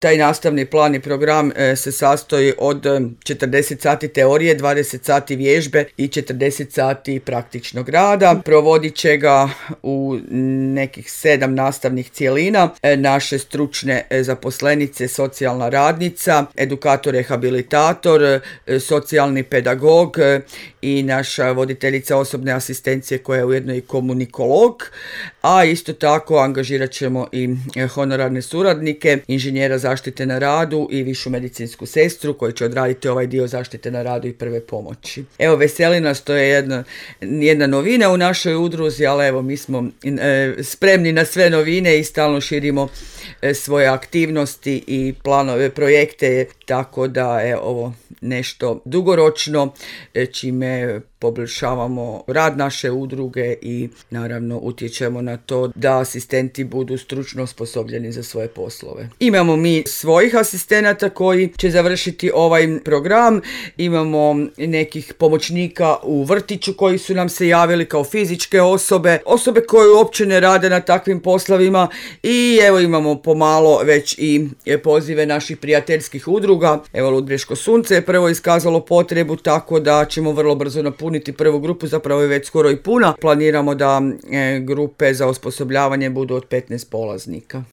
Taj nastavni plan i program se sastoji od 40 sati teorije, 20 sati vježbe i 40 sati praktičnog rada. Provodit će ga u nekih 7 nastavnih cjelina naše stručne zaposlenice, socijalna radnica, edukator, rehabilitator, socijalni pedagog i naša voditeljica osobne asistencije koja je ujedno i komunikolog, a isto tako angažirat ćemo i honorarne suradnike, inženjera zaštite na radu i višu medicinsku sestru koji će odraditi ovaj dio zaštite na radu i prve pomoći. Evo, veseli nas, to je jedna novina u našoj udruzi, ali evo, mi smo spremni na sve novine i stalno širimo svoje aktivnosti i planove, projekte, tako da je ovo nešto dugoročno čime poboljšavamo rad naše udruge i naravno utječemo na to da asistenti budu stručno osposobljeni za svoje poslove. Imamo mi svojih asistenata koji će završiti ovaj program, imamo nekih pomoćnika u vrtiću koji su nam se javili kao fizičke osobe koje uopće ne rade na takvim poslovima i evo imamo pomalo već i pozive naših prijateljskih udruga. Evo, Ludbreško sunce je prvo iskazalo potrebu, tako da ćemo vrlo brzo napuniti prvu grupu, zapravo je već skoro i puna. Planiramo da grupe za osposobljavanje budu od 15 polaznika.